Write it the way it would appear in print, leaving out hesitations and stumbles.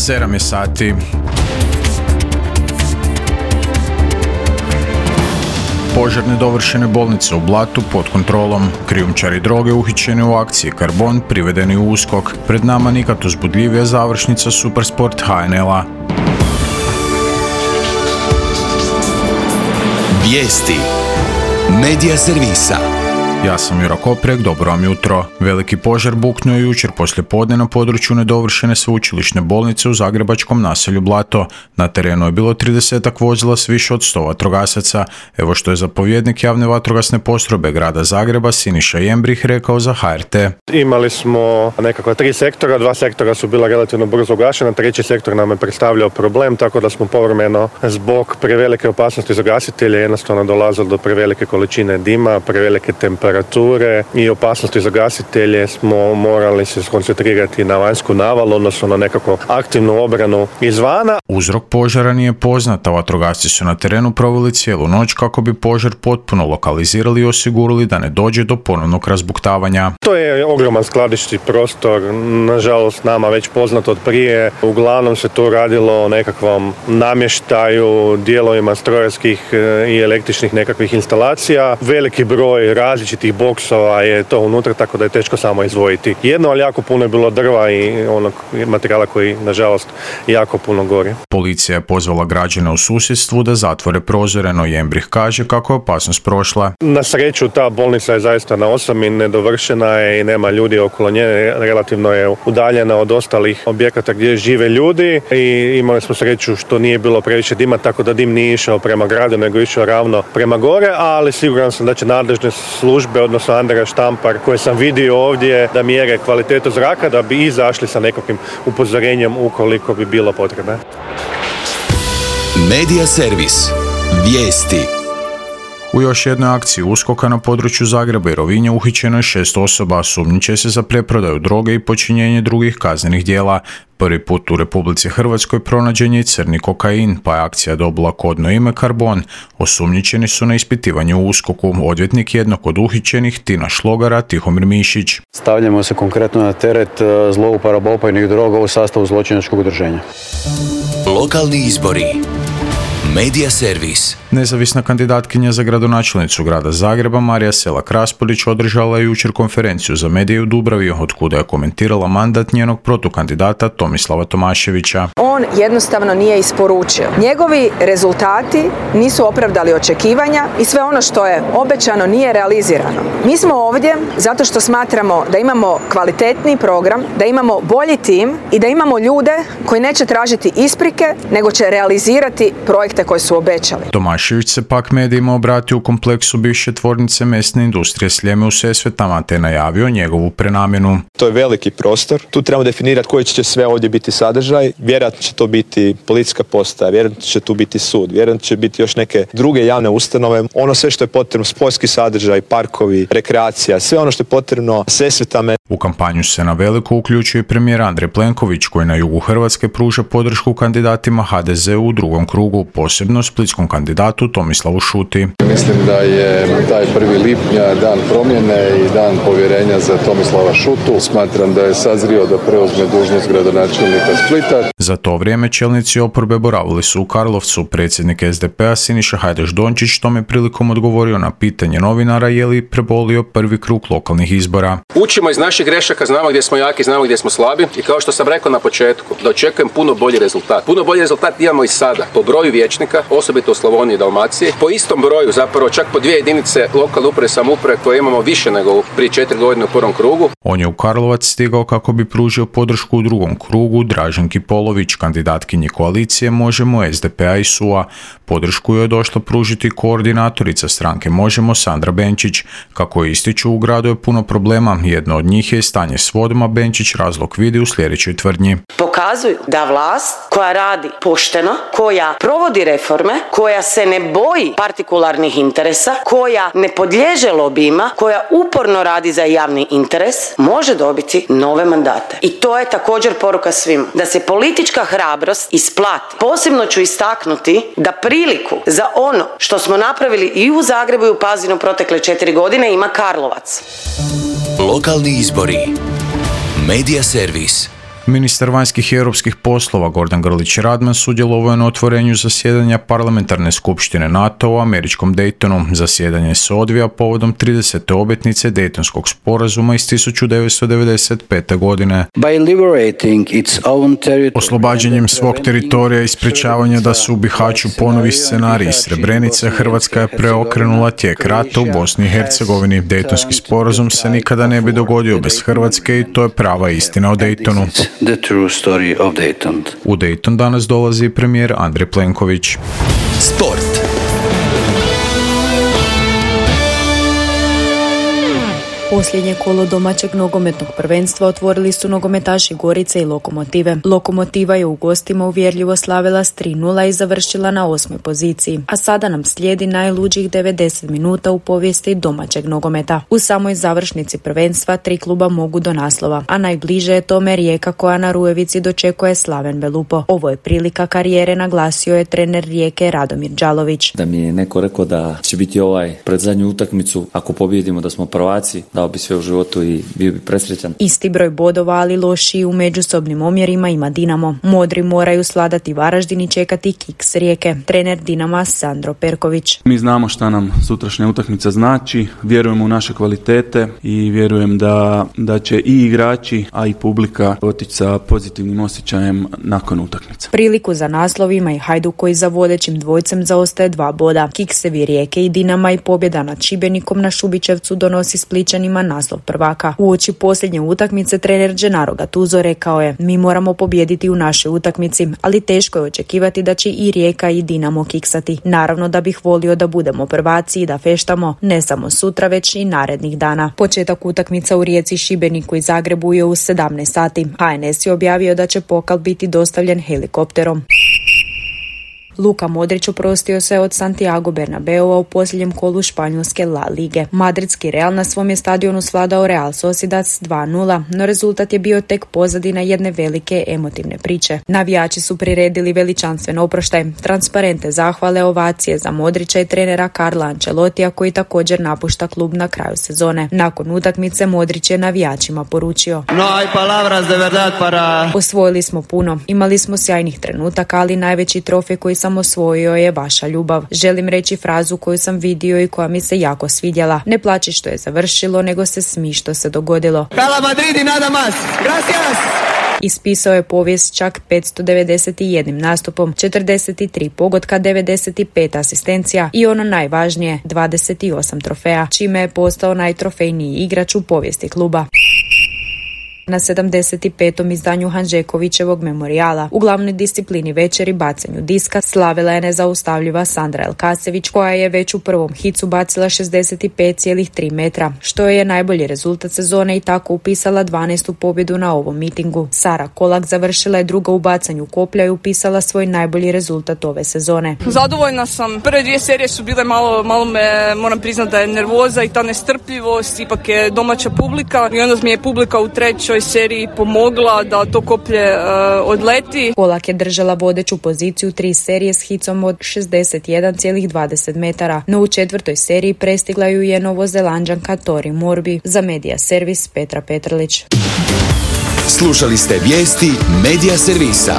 7 je sati. Požar nedovršene bolnice u Blatu pod kontrolom. Krijumčari droge uhićeni u akciji Karbon privedeni u USKOK. Pred nama nikad uzbudljivija završnica Supersport HNL-a. Vijesti Medija servisa. Ja sam Jura Koprek, dobro vam jutro. Veliki požar buknuo je jučer poslijepodne na području nedovršene sveučilišne bolnice u zagrebačkom naselju Blato. Na terenu je bilo 30-ak vozila s više od 100 vatrogasaca. Evo što je zapovjednik javne vatrogasne postrojbe grada Zagreba Siniša Jembrih rekao za HRT. Imali smo nekakva 3 sektora, 2 sektora su bila relativno brzo ugašena, 3. sektor nam je predstavljao problem, tako da smo povremeno zbog prevelike opasnosti za gasitelje jednostavno dolazilo do prevelike količine dima, prevelike temperature i opasnosti za gasitelje smo morali se skoncentrirati na vanjsku navalu, odnosno na nekakvu aktivnu obranu izvana. Uzrok požara nije poznat, a vatrogasci su na terenu proveli cijelu noć kako bi požar potpuno lokalizirali i osigurali da ne dođe do ponovnog razbuktavanja. To je ogroman skladišni prostor, nažalost nama već poznato od prije. Uglavnom se tu radilo o nekakvom namještaju, dijelovima strojarskih i električnih nekakvih instalacija. Veliki broj različitih boksova je to unutra, tako da je teško samo izdvojiti jedno, ali jako puno je bilo drva i onog materijala koji nažalost jako puno gori. Policija je pozvala građane u susjedstvu da zatvore prozore, no Jembrih kaže kako je opasnost prošla. Na sreću ta bolnica je zaista na osami, nedovršena je i nema ljudi okolo nje, relativno je udaljena od ostalih objekata gdje žive ljudi i imali smo sreću što nije bilo previše dima, tako da dim nije išao prema gradu, nego išao ravno prema gore, ali siguran sam da će nadležne službe, odnosno Andreja Štampar, koje sam vidio ovdje, da mjere kvalitetu zraka, da bi izašli sa nekakvim upozorenjem ukoliko bi bilo potrebe. Medija servis. Vijesti. U još jednoj akciji USKOK-a na području Zagreba i Rovinja uhićeno je 6 osoba, sumnjiče se za preprodaju droge i počinjenje drugih kaznenih djela. Prvi put u Republici Hrvatskoj pronađen je i crni kokain, pa je akcija dobila kodno ime Karbon. Osumnjičeni su na ispitivanju u USKOK-u. Odvjetnik jednog od uhićenih, Tina Šlogara, Tihomir Mišić. Stavljamo se konkretno na teret zlouporaba opojnih droga u sastavu zločinačkog udruženja. Lokalni izbori. Medija servis. Nezavisna kandidatkinja za gradonačelnicu grada Zagreba Marija Selak-Raspudić održala je jučer konferenciju za medije u Dubravi, otkuda je komentirala mandat njenog protukandidata Tomislava Tomaševića. On jednostavno nije isporučio. Njegovi rezultati nisu opravdali očekivanja i sve ono što je obećano nije realizirano. Mi smo ovdje zato što smatramo da imamo kvalitetni program, da imamo bolji tim i da imamo ljude koji neće tražiti isprike, nego će realizirati projekte koje su obećali. Tomašević se pak medijima obratio u kompleksu bivše tvornice mesne industrije Sljeme u Sesvetama, te najavio njegovu prenamjenu. To je veliki prostor. Tu trebamo definirati koji će sve ovdje biti sadržaj. Vjerojatno će to biti policijska postaja, vjerojatno će tu biti sud, vjerojatno će biti još neke druge javne ustanove. Ono sve što je potrebno, sportski sadržaj, parkovi, rekreacija, sve ono što je potrebno Sesvetama. U kampanju se na veliko uključuje premijer Andrej Plenković, koji na jugu Hrvatske pruža podršku kandidatima HDZ-u u drugom krugu, posebno splitskom kandidatu Tomislavu Šuti. Mislim da je taj 1. lipnja dan promjene i dan povjerenja za Tomislava Šutu. Smatram da je sazrio da preuzme dužnost gradonačelnika Splita. Za to vrijeme čelnici oporbe boravili su u Karlovcu. Predsjednik SDP-a Siniša Hajdaš Dončić tome prilikom odgovorio na pitanje novinara je li prebolio prvi krug lokalnih izbora. Učimo iz naših grešaka, znamo gdje smo jaki, znamo gdje smo slabi i kao što sam rekao na početku, da očekujem puno bolji rezultat. Puno bolji rezultat imamo i sada. Po broju vijećnika, osobito u Slavoniji i Dalmaciji, po istom broju, zapravo čak po 2 jedinice lokalne uprave i samouprave koje imamo više nego prije 4 godine u prvom krugu. On je u Karlovac stigao kako bi pružio podršku u drugom krugu Draženki Polović, kandidatkinji koalicije Možemo, SDP-a i SUA. Podršku je došla pružiti koordinatorica stranke Možemo Sandra Benčić. Kako je ističu, u gradu je puno problema. Jedno od njih je stanje s vodama. Benčić razlog vidi u sljedećoj tvrdnji. Pokazuju da vlast koja radi pošteno, koja provodi reforme, koja se ne boji partikularnih interesa, koja ne podliježe lobijima, koja uporno radi za javni interes, može dobiti nove mandate. I to je također poruka svima. Da se politička hrabrost isplati. Posebno ću istaknuti da priliku za ono što smo napravili i u Zagrebu i u Pazinu protekle 4 godine ima Karlovac. Lokalni izbori. Medija servis. Ministar vanjskih i europskih poslova Gordan Grlić Radman sudjelovao je na otvorenju zasjedanja parlamentarne skupštine NATO u američkom Daytonu. Zasjedanje se odvija povodom 30. obljetnice Daytonskog sporazuma iz 1995. godine. Oslobađanjem svog teritorija i sprječavanja da se u Bihaću ponovi scenarij iz Srebrenice, Hrvatska je preokrenula tijek rata u Bosni i Hercegovini. Daytonski sporazum se nikada ne bi dogodio bez Hrvatske i to je prava istina o Daytonu. U Dayton danas dolazi premijer Andrej Plenković. Sport. Posljednje kolo domaćeg nogometnog prvenstva otvorili su nogometaši Gorice i Lokomotive. Lokomotiva je u gostima uvjerljivo slavila s 3:0 i završila na 8. poziciji. A sada nam slijedi najluđih 90 minuta u povijesti domaćeg nogometa. U samoj završnici prvenstva 3 kluba mogu do naslova, a najbliže je tome Rijeka koja na Rujevici dočekuje Slaven Belupo. Ovo je prilika karijere, naglasio je trener Rijeke Radomir Đalović. Da mi je neko rekao da će biti pred zadnju utakmicu, ako pobijedimo da smo prvaci, dao bi sve u životu i bio bi presrećan. Isti broj bodova, ali lošiji u međusobnim omjerima ima Dinamo. Modri moraju svladati Varaždin i čekati kiks Rijeke. Trener Dinama Sandro Perković. Mi znamo šta nam sutrašnja utakmica znači, vjerujemo u naše kvalitete i vjerujem da će i igrači, a i publika otići sa pozitivnim osjećajem nakon utakmice. Priliku za naslov ima i Hajduk koji za vodećim dvojcem zaostaje 2 boda. Kiksevi Rijeke i Dinama i pobjeda nad Šibenikom na Šubićevcu donosi Splićanima naslov prvaka. Uoči posljednje utakmice trener Gennaro Gattuso rekao je: mi moramo pobijediti u našoj utakmici, ali teško je očekivati da će i Rijeka i Dinamo kiksati. Naravno da bih volio da budemo prvaci i da feštamo ne samo sutra već i narednih dana. Početak utakmica u Rijeci, Šibeniku i Zagrebu je u 17 sati. HNS je objavio da će pokal biti dostavljen helikopterom. Luka Modrić oprostio se od Santiago Bernabeua u posljednjem kolu španjolske La Lige. Madridski Real na svom je stadionu svladao Real Sociedad s 2:0, no rezultat je bio tek pozadina jedne velike emotivne priče. Navijači su priredili veličanstven oproštaj, transparente zahvale, ovacije za Modrića i trenera Carla Ancelotija koji također napušta klub na kraju sezone. Nakon utakmice Modrić je navijačima poručio: osvojili smo puno, imali smo sjajnih trenutaka, ali najveći trofej koji sam osvojio je vaša ljubav. Želim reći frazu koju sam vidio i koja mi se jako svidjela. Ne plači što je završilo, nego se smi što se dogodilo. Hala Madrid i nada más. Gracias! Ispisao je povijest čak 591 nastupom, 43 pogotka, 95 asistencija i ono najvažnije, 28 trofeja, čime je postao najtrofejniji igrač u povijesti kluba. Na 75. izdanju Hanžekovićevog memorijala u glavnoj disciplini večeri bacanju diska slavila je nezaustavljiva Sandra Elkasević koja je već u prvom hicu bacila 65,3 metra, što je najbolji rezultat sezone i tako upisala 12. pobjedu na ovom mitingu. Sara Kolak završila je druga u bacanju koplja i upisala svoj najbolji rezultat ove sezone. Zadovoljna sam. Prve 2 serije su bile malo me, moram priznati da je nervoza i ta nestrpljivost, ipak je domaća publika i onda mi je publika u trećoj seriji pomogla da to koplje odleti. Kolak je držala vodeću poziciju 3 serije s hicom od 61,20 metara, no u 4. seriji prestigla ju je Novozelanđanka Tori Morbi. Za Medija Servis Petra Petrlić. Slušali ste vijesti Medija Servisa.